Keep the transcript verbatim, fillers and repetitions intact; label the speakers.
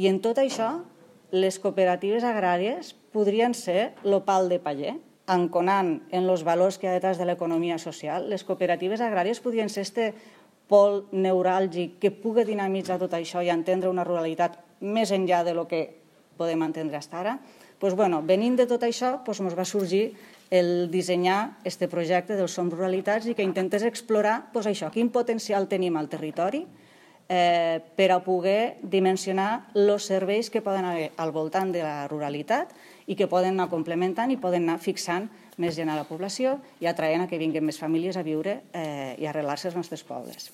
Speaker 1: I en tot això, les cooperatives agràries podrien ser el pal de paller, anconant en els valors que hi ha detrás de l'economia social. Les cooperatives agràries podrien ser este pol neuràlgic que pugui dinamitzar tot això i entendre una ruralitat més enllà de lo que podem entendre fins ara. Pues, bueno, venint de tot això, pues, ens va sorgir el dissenyar este projecte del Som Ruralitats i que intentes explorar pues, això, quin potencial tenim al territori eh, per a poder dimensionar els serveis que poden haver al voltant de la ruralitat i que poden anar complementant i poden anar fixant més gent a la població i atraient a que vinguin més famílies a viure eh, i a arrelar-se als nostres pobles.